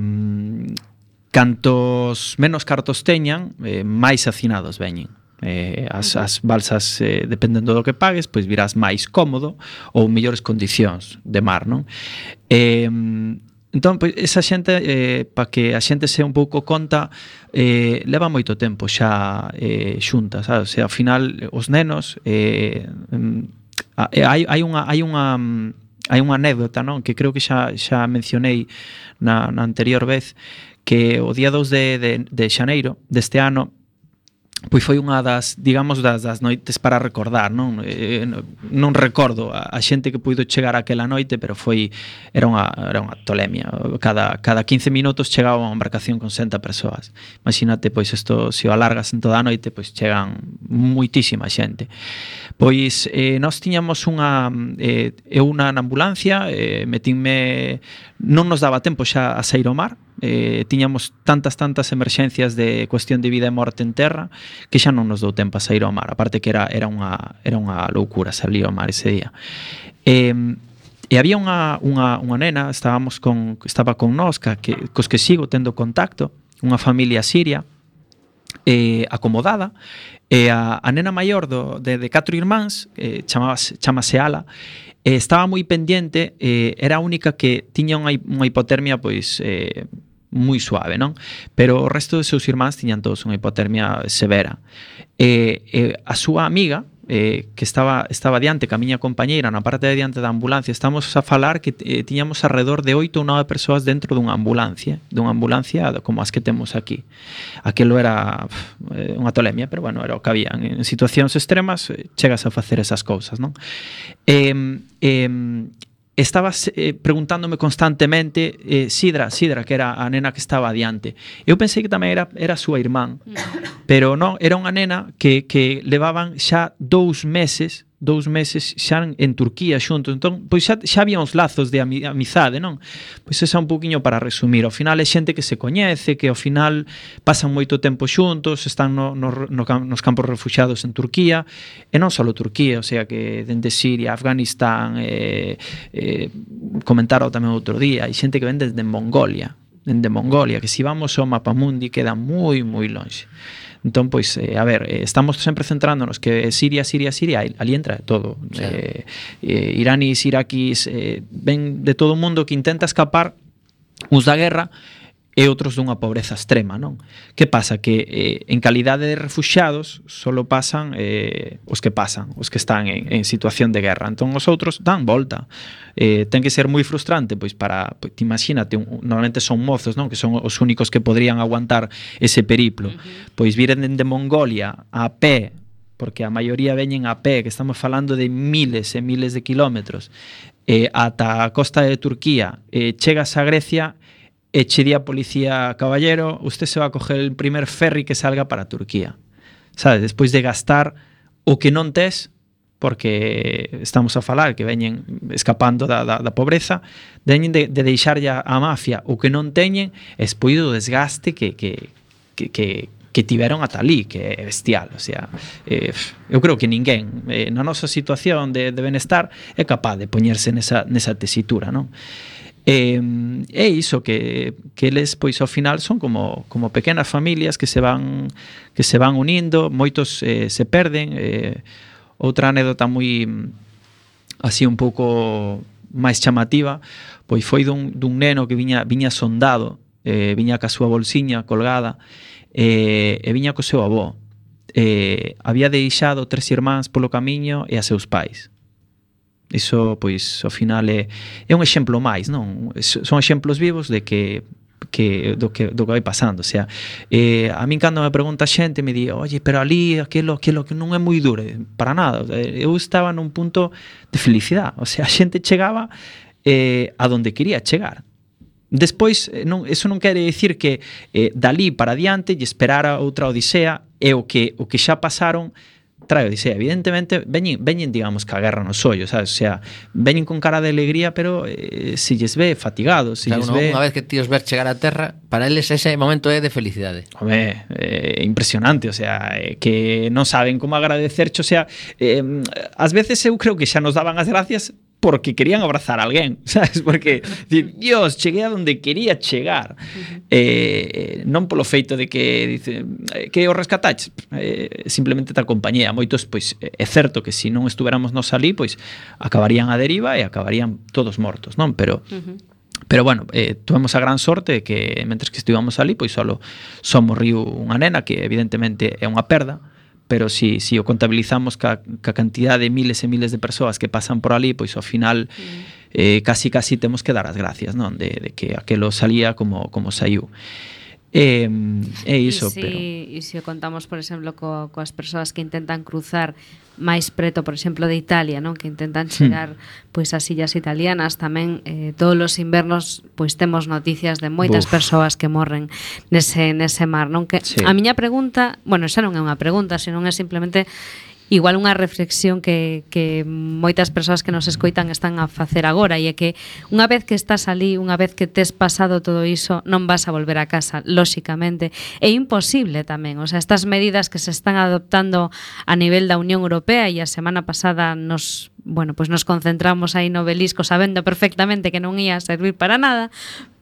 cantos menos cartos teñan, eh, máis hacinados veñen. Eh, as, as balsas, eh, dependendo do que pagues, pois virás máis cómodo ou mellores condicións de mar, non? Eh, entón, pois, esa xente, eh, para que a xente se un pouco conta, eh, leva moito tempo xa eh, xunta, sabes? O sea, ao final, os nenos, eh, hai, hai unha... Hai unha hai unha anécdota, non? Que creo que xa, xa mencionei na, na anterior vez, que o día dous de, de, de xaneiro deste ano pois foi unha das, digamos, das, das noites para recordar, non? Eh, non recordo a, a xente que puido chegar aquela noite, pero foi era unha, era unha tolemia. Cada, cada quince minutos chegaba unha embarcación con sesenta persoas. Imagínate, pois, isto, se o alargas en toda a noite, pois chegan moitísima xente. Pois, eh, nós tiñamos unha... Eh, eu na ambulancia, eh, metinme... Non nos daba tempo xa a sair ao mar, eh, tiñamos tantas, tantas emerxencias de cuestión de vida e morte en terra que xa non nos dou tempo a sair ao mar, aparte que era, era, unha, era unha loucura salir ao mar ese día. Eh, e había unha, unha, unha nena, estábamos con, estaba con nós, que, cos que sigo tendo contacto, unha familia siria, eh, acomodada, e a, a nena maior do, de, de catro irmáns, eh, chamase, chamase Ala, eh, estaba moi pendiente, eh, era a única que tiña unha, unha hipotermia pois eh, moi suave, non? Pero o resto de seus irmáns tiñan todos unha hipotermia severa. Eh, eh, a súa amiga, eh, que estaba estaba diante ca miña compañeira na parte de diante da ambulancia, estamos a falar que eh, tiñamos alrededor de oito ou nove persoas dentro dunha ambulancia, dunha ambulancia como as que temos aquí. Aquilo era eh, unha tolemia, pero bueno, era o que había. En situacións extremas eh, chegas a facer esas cousas, non? Eh, eh, estabas eh, preguntándome constantemente eh, Sidra, Sidra, que era a nena que estaba adiante. Eu pensei que tamén era, era a súa irmán, pero non, era unha nena que, que levaban xa dous meses dous meses xa en, en Turquía xuntos, entón, pois xa, xa había uns lazos de ami, amizade, non? Pois esa un poquinho para resumir. Ao final é xente que se coñece, que ao final pasan moito tempo xuntos, están no, no, no, nos campos refuxiados en Turquía, e non só Turquía, o sea que dende Siria, Afganistán, eh, eh, comentaron tamén outro día, hai xente que ven desde Mongolia, dende Mongolia, que se vamos ao mapamundi queda moi, moi longe. Entón, pois, eh, a ver, eh, estamos sempre centrándonos que Siria, Siria, Siria, ali entra todo. Sí. Eh, eh, iraníes, iraquís, eh, ven de todo o mundo que intenta escapar uns da guerra e outros dunha pobreza extrema, non? Que pasa? Que eh, en calidade de refuxiados solo pasan eh, os que pasan, os que están en, en situación de guerra. Entón os outros dan volta. Eh, ten que ser moi frustrante, pois para, pois, imagínate, un, normalmente son mozos, non? Que son os únicos que podrían aguantar ese periplo. Uh-huh. Pois viren de Mongolia a pé, porque a maioría veñen a pé, que estamos falando de miles e miles de kilómetros, eh, ata a costa de Turquía, eh, chegas a Grecia e che di a policía: caballero, usted se va a coger el primer ferry que salga para Turquía. Sabes, despois de gastar o que non tes, porque estamos a falar que veñen escapando da, da, da pobreza, veñen de, de deixar ya a mafia o que non teñen, despois do desgaste que, que, que, que, que tiveron ata ali, que é bestial. O sea, eh, eu creo que ninguén eh, na nosa situación de, de benestar é capaz de poñerse nesa, nesa tesitura, non? E é iso que, que eles pois ao final son como, como pequenas familias que se van que se van unindo, moitos eh, se perden. Eh, outra anécdota moi así un pouco máis chamativa, pois foi dun, dun neno que viña, viña sondado, eh, viña ca súa bolsiña colgada, eh, e viña co seu avó. Eh, había deixado tres irmáns polo camiño e a seus pais. Iso, pois, ao final é, é un exemplo máis, non? Son exemplos vivos de que, que, do, que do que vai pasando. O sea, eh, a min cando me pregunta xente me di: oye, pero ali aquilo, aquilo que non é moi duro. Para nada. Eu estaba nun punto de felicidade. O sea, a xente chegaba eh, a donde quería chegar. Despois, non, eso non quere dicir que eh, dali para adiante lle esperara outra odisea, e o que, o que xa pasaron trae odisea. Evidentemente veñen, veñen digamos, ca guerra nos ollos, sabes? O sea, veñen con cara de alegría, pero eh, se lles ve fatigados, se claro, lles no, ve... Unha vez que tíos ver chegar a terra, para eles ese momento é de felicidade. Home, é eh, impresionante, o sea, eh, que non saben como agradecerche, o sea, eh, ás veces eu creo que xa nos daban as gracias porque querían abrazar a alguén, sabes? Porque, Dios, cheguei a donde quería chegar. Uh-huh. Eh, non polo feito de que dice, que o rescataches, eh, simplemente te acompañé. A moitos, pois, é certo que se non estuveramos nos ali, pois, acabarían a deriva e acabarían todos mortos, non? Pero... Uh-huh. Pero bueno, eh, tuvemos a gran sorte de que mentres que estivamos ali, pois solo só morriu unha nena, que evidentemente é unha perda, pero si, si o contabilizamos ca, ca cantidad de miles e miles de persoas que pasan por ali, pois ao final mm. eh, casi casi temos que dar as gracias, non? De, de que aquelo salía como, como saiu. É eh, iso, si, pero... E se o contamos, por exemplo, co, coas persoas que intentan cruzar máis preto, por exemplo, de Italia, non? Que intentan chegar hmm. pois ás illas italianas, tamén eh, todos os invernos pois temos noticias de moitas Uf. persoas que morren nese, nese mar, non? Que sí. A miña pregunta, bueno, xa non é unha pregunta, senón é simplemente igual unha reflexión que, que moitas persoas que nos escoitan están a facer agora, e é que unha vez que estás ali, unha vez que tes pasado todo iso, non vas a volver a casa, lóxicamente. É imposible tamén, o sea, estas medidas que se están adoptando a nivel da Unión Europea, e a semana pasada nos, bueno, pues nos concentramos aí no Belisco sabendo perfectamente que non ia servir para nada,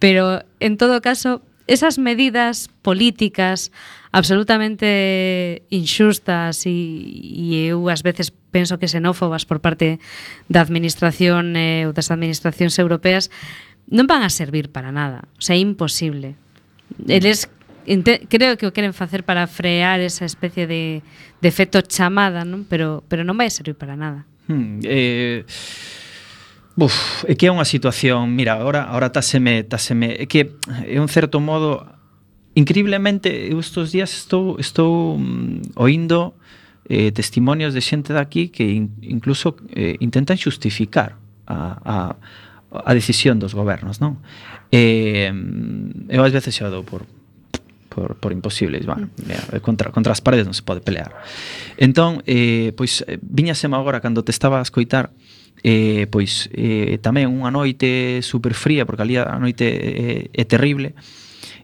pero en todo caso, esas medidas políticas absolutamente inxustas e, e eu ás veces penso que xenófobas por parte da administración eh, ou das administracións europeas non van a servir para nada, o sea, é imposible. Eles Inte, creo que o queren facer para frear esa especie de, de efecto chamada, non? Pero, pero non vai a servir para nada. Hmm, eh, uf, é que é unha situación, mira, agora agora táseme, táseme, é que é un certo modo increíblemente eu estes días estou estou mm, oindo eh, testimonios de xente daqui que in, incluso eh, intentan xustificar a, a a decisión dos gobernos, non? Eh, eu ás veces xa dou por por, por imposibles, bueno, contra, contra as paredes non se pode pelear. Entón, eh, pois, viñaseme agora cando te estaba a escoitar, eh, pois, eh, tamén unha noite super fría, porque ali a noite é, é terrible,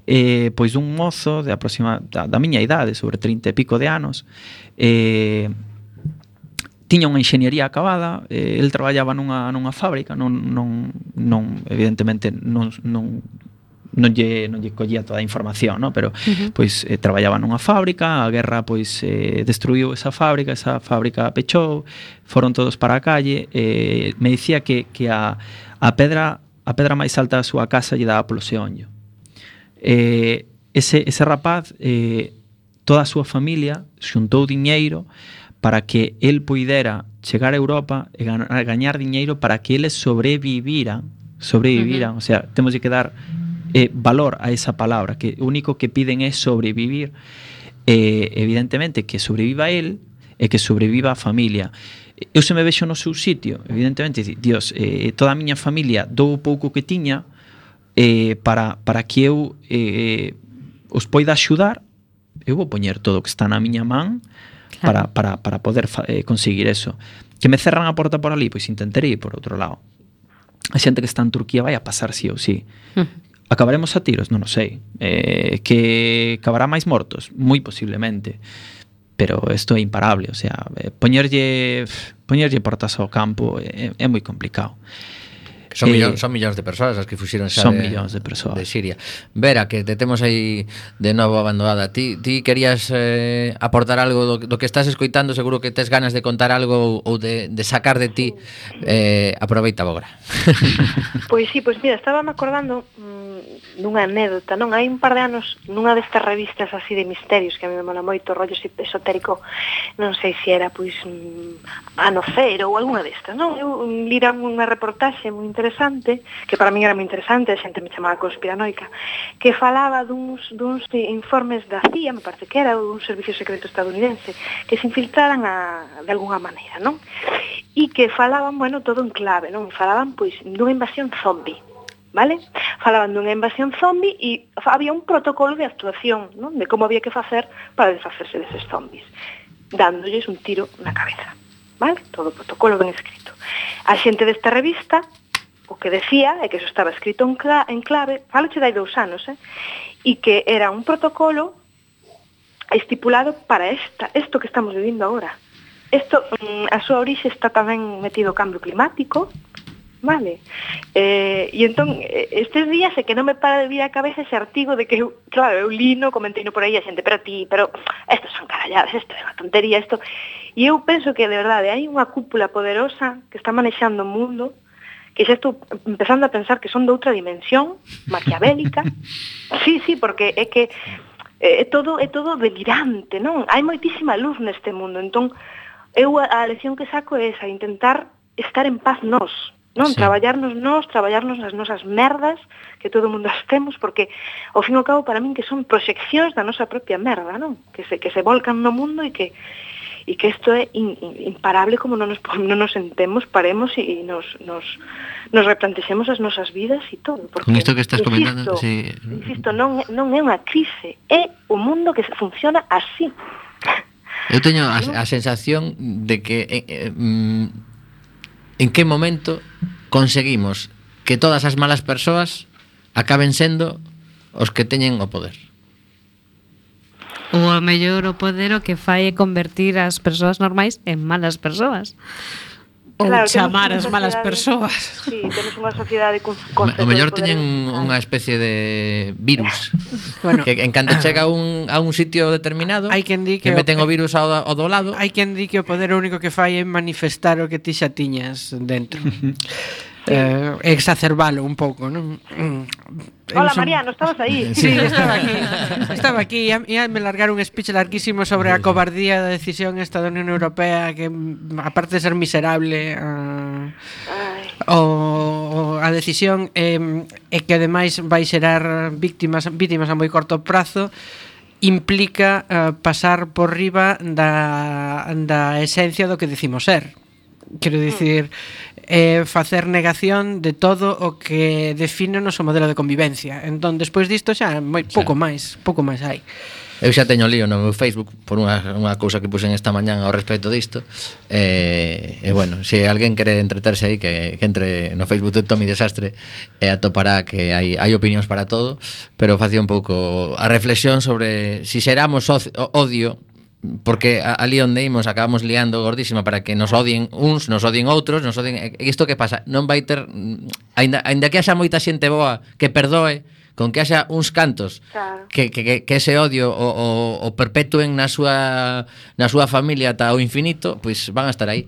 eh, pois un mozo de aproxima, da, da miña idade, sobre trinta e pico de anos, eh, tiña unha enxeñería acabada, eh, el traballaba nunha, nunha fábrica, non, non, non evidentemente non, non non lle, non lle collía toda a información, ¿no? Pero uh-huh. pois eh, traballaba nunha fábrica, a guerra pois eh, destruiu esa fábrica, esa fábrica pechou, foron todos para a calle, eh, me dicía que, que a, a pedra a pedra máis alta da súa casa lle daba polo xeonllo. Eh, ese, ese rapaz, eh, toda a súa familia xuntou diñeiro para que el puidera chegar a Europa e gañar diñeiro para que eles sobreviviran, sobreviviran, uh-huh. o sea, temos que dar Eh, valor a esa palabra, que o único que piden é sobrevivir, eh, evidentemente que sobreviva él e que sobreviva a familia. Eu se me vexo no seu sitio, evidentemente, Dios, eh, toda a miña familia dou o pouco que tiña eh, para, para que eu eh, os poida axudar, eu vou poñer todo o que está na miña man claro. para, para, para poder eh, conseguir eso. Que me cerran a porta por ali, pois intentarei por outro lado. A xente que está en Turquía vai a pasar sí ou sí. Uh-huh. Acabaremos a tiros? Non o sei. Eh, que acabará máis mortos? Moi posiblemente. Pero isto é imparable. O sea, eh, poñerlle, poñerlle portas ao campo é, é moi complicado. Son, eh, millóns, son millóns de persoas as que fuxiron xa son de, millóns de persoas de Siria. Vera, que te temos aí de novo abandonada. Ti, ti querías eh, aportar algo do, do que estás escoitando, seguro que tes ganas de contar algo ou de, de sacar de ti. Eh, aproveita agora. Pois sí, pois mira, estaba me acordando mmm, dunha anécdota, non? Hai un par de anos nunha destas revistas así de misterios que a mí me mola moito, rollo esotérico, non sei se era pois mmm, Ano Cero ou alguna destas, non? Eu lira unha reportaxe moi interesante, que para min era moi interesante, a xente me chamaba conspiranoica, que falaba duns, duns informes da C I A, me parece que era, dun servicio secreto estadounidense, que se infiltraran a, de alguna maneira, non? E que falaban, bueno, todo en clave, non? Falaban, pois, dunha invasión zombie, vale? Falaban dunha invasión zombie e había un protocolo de actuación, non? De como había que facer para desfacerse deses zombies, dándolles un tiro na cabeza, vale? Todo o protocolo ben escrito. A xente desta revista o que decía é que eso estaba escrito en, cla en clave, faloche dai dous anos, eh? E que era un protocolo estipulado para esta, esto que estamos vivindo agora. Esto, mm, a súa orixe está tamén metido o cambio climático, vale? Eh, e entón, estes días é que non me para de vir a cabeza ese artigo de que, eu, claro, eu lino, comenteino por aí a xente, pero ti, pero estos son caralladas, isto é unha tontería, isto... E eu penso que, de verdade, hai unha cúpula poderosa que está manexando o mundo, que xa estou empezando a pensar que son de outra dimensión, maquiavélica. Sí, sí, porque é que é todo, é todo delirante, non? Hai moitísima luz neste mundo, entón eu a, a lección que saco é esa, intentar estar en paz nós, non? Sí. Traballarnos nós, traballarnos nas nosas merdas, que todo o mundo as temos, porque ao fin e ao cabo para min que son proxeccións da nosa propia merda, non? Que se, que se volcan no mundo e que e que isto é in, in, imparable como non nos, non nos sentemos, paremos e nos, nos, nos replantexemos as nosas vidas e todo. Porque, con isto que estás insisto, comentando, sí. Insisto, non, non é unha crise, é o mundo que funciona así. Eu teño a, a sensación de que eh, eh, en que momento conseguimos que todas as malas persoas acaben sendo os que teñen o poder. Ou a mellor o poder o que fai é convertir as persoas normais en malas persoas. Ou Claro, chamar temos as unha malas sociedade- persoas. Sí, temos unha sociedade con O mellor teñen unha especie de virus. Bueno, que en canto chega a un, a un sitio determinado, hai quen di que que meten o- o virus ao, ao do lado. Hai quen di que o poder o único que fai é manifestar o que ti xa tiñas dentro. eh, exacerbalo un pouco, non? Hola, son... Mariano, estabas aí. Sí, estaba aquí. Estaba aquí e ia me largar un speech larguísimo sobre a cobardía da decisión esta da Unión Europea que, aparte de ser miserable, uh, o a decisión é eh, que ademais vai xerar víctimas víctimas a moi corto prazo, implica uh, pasar por riba da, da esencia do que decimos ser. Quero dicir, eh, facer negación de todo o que define o noso modelo de convivencia. Entón, despois disto xa moi pouco máis, pouco máis hai. Eu xa teño lío no meu Facebook por unha, unha cousa que puxen esta mañán ao respecto disto. E, e bueno, se alguén quere entreterse aí, que, que entre no Facebook de Tommy Desastre e atopará que hai, hai opinións para todo, pero facía un pouco a reflexión sobre si xeramos odio, porque ali onde imos acabamos liando gordísima para que nos odien uns, nos odien outros, nos odien... E isto que pasa? Non vai ter... Ainda, ainda que haxa moita xente boa que perdoe, con que haxa uns cantos claro. que, que, que ese odio o, o, o perpetúen na súa na súa familia ata o infinito, pois van a estar aí.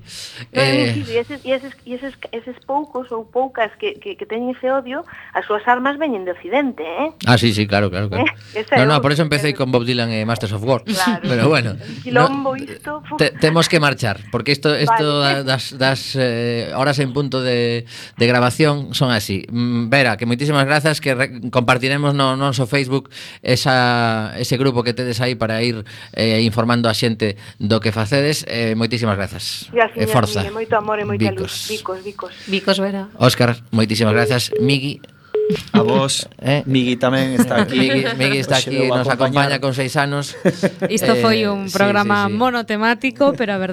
No, eh, e eses, e eses, e eses, eses poucos ou poucas que, que, que teñen ese odio, as súas armas veñen de Occidente, eh? Ah, sí, sí, claro, claro, claro. Eh? No, no, por eso empecé con Bob Dylan e Masters of War. Claro. Pero bueno, quilombo, no, isto, te, temos que marchar, porque isto isto vale. das, das eh, horas en punto de, de grabación son así. Vera, que moitísimas grazas, que re, compartiremos no noso Facebook esa, ese grupo que tedes aí para ir eh, informando a xente do que facedes. Eh, moitísimas grazas. Gracias, e forza. Miguel, moito amor e moita luz. Vicos, Vicos. Vicos, Vera. Óscar, moitísimas grazas. Migui, a vos, eh? Migui tamén está aquí. Migui, Migui está aquí, nos acompaña con seis anos. Isto foi un programa eh, sí, sí. monotemático, pero a verdade